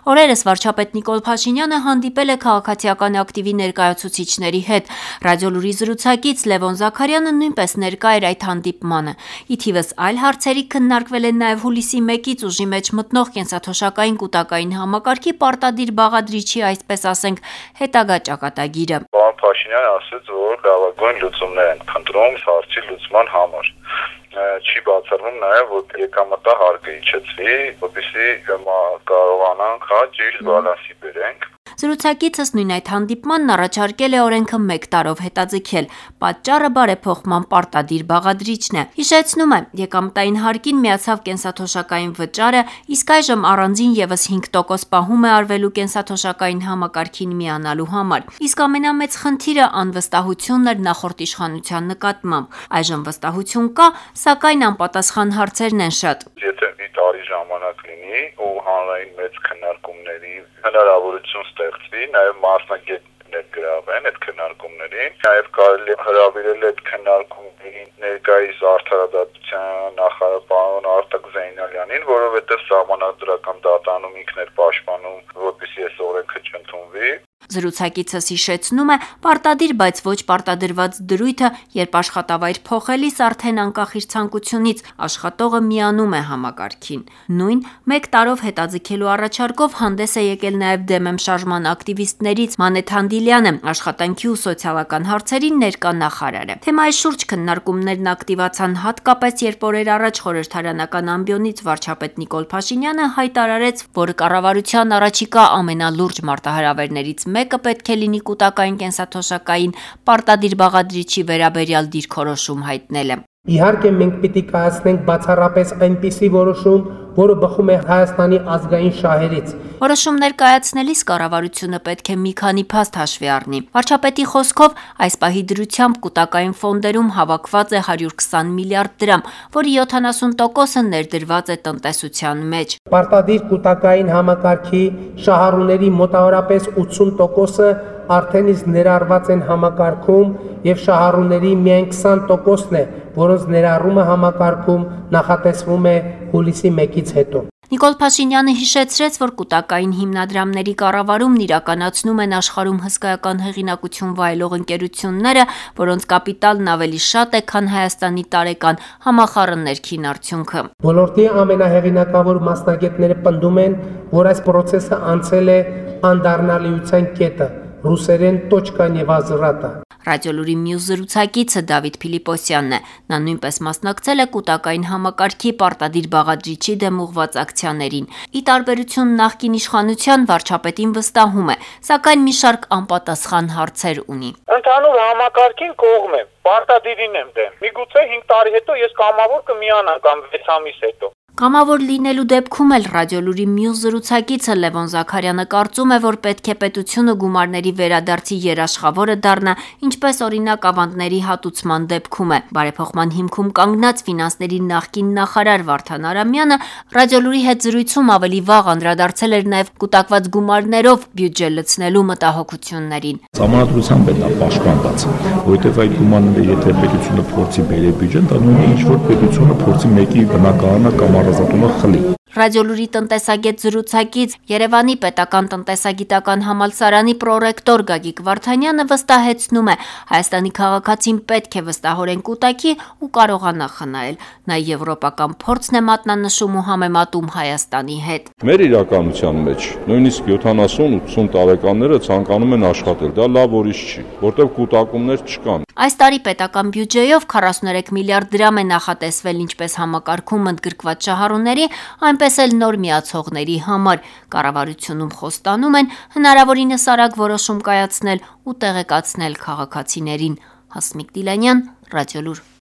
Օրերս վարչապետ Նիկոլ Փաշինյանը հանդիպել է քաղաքացիական ակտիվի ներկայացուցիչների հետ։ Ռադիոլուրի զրուցակից Լևոն Զաքարյանը նույնպես ներկա էր այդ հանդիպմանը։ Ի թիվս այլ հարցերի քննարկվել են նաև հուլիսի 1-ից ուժի մեջ մտնող կենսաթոշակային կուտակային համակարգի պարտադիր բաղադրիչի, այսպես ասենք, հետագա ճակատագիրը։ Պարոն Փաշինյանը ասաց, որ լավագույն լուծումներ են փնտրում հարցի լուծման համար։ Չի բացառվում նաև, որ եկամտահարկը իջեցվի, որպեսզի կարողանանք ճիշտ բալանսի բերենք։ Զրուցակիցս նույն այդ հանդիպմանն առաջարկել է օրենքը 1 տարով հետաձգել։ Պատճառը բարեփոխման պարտադիր բաղադրիչն է։ Հիշեցնում է, եկամտային հարկին միացավ կենսաթոշակային վճարը, իսկ այժմ առանձին եւս 5% պահում է արվելու կենսաթոշակային համակարգին միանալու համար։ Իսկ ամենամեծ խնդիրը անվստահությունն էր նախորդ իշխանության նկատմամբ։ Այժմ վստահություն կա, սակայն անպատասխան հարցերն են շատ։ Եթե մի տարի ժամանակ լինի ու հանրային մեծ քննարկումների հնարավորություն ստեղծվի, նաև մասնագետներ գրավեն այդ քննարկումներին, նաև կարելի է հրավիրել այդ քննարկումներին ներկայիս արդարադատության նախարար պարոն Արտակ Զեյնալյանին, որովհետև սահմանադրական դատանում ինքն էր պաշտպանում, որպեսզի այս օրենքը չընդունվի։ Զրուցակիցս հիշեցնում է, պարտադիր, բայց ոչ պարտադրված դրույթը, երբ աշխատավայր փոխելիս արդեն անկախ իր ցանկությունից աշխատողը միանում է համակարգին։ Նույն 1 տարով հետաձգելու առաջարկով հանդես է եկել նաև դեմեմ շարժման ակտիվիստներից Մանեթ Հանդիլյանը, աշխատանքի ու սոցիալական հարցերի ներկա նախարարը։ Թեմայի շուրջ քննարկումներն ակտիվացան հատկապես, երբ օրեր առաջ խորհրդարանական ամբիոնից վարչապետ Նիկոլ Փաշինյանը հայտարարեց, որ կառավարության առաջիկա ամենալուրջ մարտահրավերներից մեկը պետք է լինի կուտակային կենսաթոշակային պարտադիր բաղադրիչի վերաբերյալ դիրքորոշում հայտնելը։ Իհարկե մենք պիտի կայացնենք բացառապես այնպիսի որոշում, որը բխում է Հայաստանի ազգային շահերից։ Որոշումներ կայացնելիս կառավարությունը պետք է մի քանի փաստ հաշվի առնի։ Վարչապետի խոսքով այս պահի դրությամբ կուտակային ֆոնդերում հավաքված է 120 միլիարդ դրամ, որի 70%-ը ներդրված է տնտեսության մեջ։ Պարտադիր կուտակային համակարգի շահառուների մոտավորապես 80%-ը արդեն իսկ ներառված են համակարգում եւ շահառուների միայն 20%-ն է, որոնց ներառումը համակարգում նախատեսվում է հուլիսի 1-ից հետո։ Նիկոլ Փաշինյանը հիշեցրեց, որ կուտակային հիմնադրամների կառավարումն իրականացնում են աշխարհում հսկայական հեղինակություն վայելող ընկերությունները, որոնց կապիտալն ավելի շատ է, քան Հայաստանի տարեկան համախառն ներքին արդյունքը։ Ոլորտի ամենահեղինակավոր մասնագետները պնդում են, որ այս process-ը անցել է անդառնալիության կետը, ռուսերեն точка невозврата։ Ռադիոլուրի մյուս զրուցակիցը Դավիթ Փիլիպոսյանն է։ Նա նույնպես մասնակցել է կուտակային համակարգի պարտադիր բաղադրիչի դեմ ուղղված ակցիաներին։ Ի տարբերություն նախկին իշխանության, վարչապետին վստահում է, սակայն մի շարք անպատասխան հարցեր ունի։ Ընդհանուր համակարգին կողմ եմ, պարտադիրին եմ դեմ։ Միգուցե 5 տարի հետո ես կամավոր կմիանամ կամ 6 ամիս հետո։ Կամավոր լինելու դեպքում էլ ռադիոլուրի մյուս զրուցակիցը Լևոն Զաքարյանը կարծում է, որ պետք է պետությունը գումարների վերադարձի երաշխավորը դառնա, ինչպես օրինակ ավանդների հատուցման դեպքում է։ Բարեփոխման հիմքում կանգնած ֆինանսների նախկին նախարար Վարդան Արամյանը ռադիոլուրի հետ զրույցում ավելի վաղ անդրադարձել էր նաև կուտակված գումարներով բյուջե լցնելու մտահոգություններին։ Սահմանադրությամբ է դա պաշտպանված, որովհետև այդ գումարները եթե պետությունը փորձի բերել բյուջեն, դա նույնը ինչ որ պետությունը փորձի մեկի բնակարանը կամ առանձնատունը խլի։ Ռադիոլուրի տնտեսագետ զրուցակից Երևանի պետական տնտեսագիտական համալսարանի պրոռեկտոր Գագիկ Վարդանյանը վստահեցնում է, Հայաստանի քաղաքացին պետք է վստահորեն կուտակի ու կարողանա խնայել։ Նա եվրոպական փորձն է մատնանշում ու համեմատում Հայաստանի հետ։ Մեր իրականության մեջ նույնիսկ 70-80 տարեկանները ցանկանում են աշխատել, դա լավ ուրիշ չի, որտեղ կուտակումներ չկան։ Այս տարի պետական բյուջեով 43 միլիարդ դրամ է նախատեսվել ինչպես համակարգում ընդգրկված շահառուների, այնպես էլ նոր միացողների համար։ Կառավարությունում խոստանում են հնարավորինս արագ որոշում կայացնել ու տեղեկացնել քաղաքացիներին։ Հասմիկ Դիլանյան, Ռադիոլուր։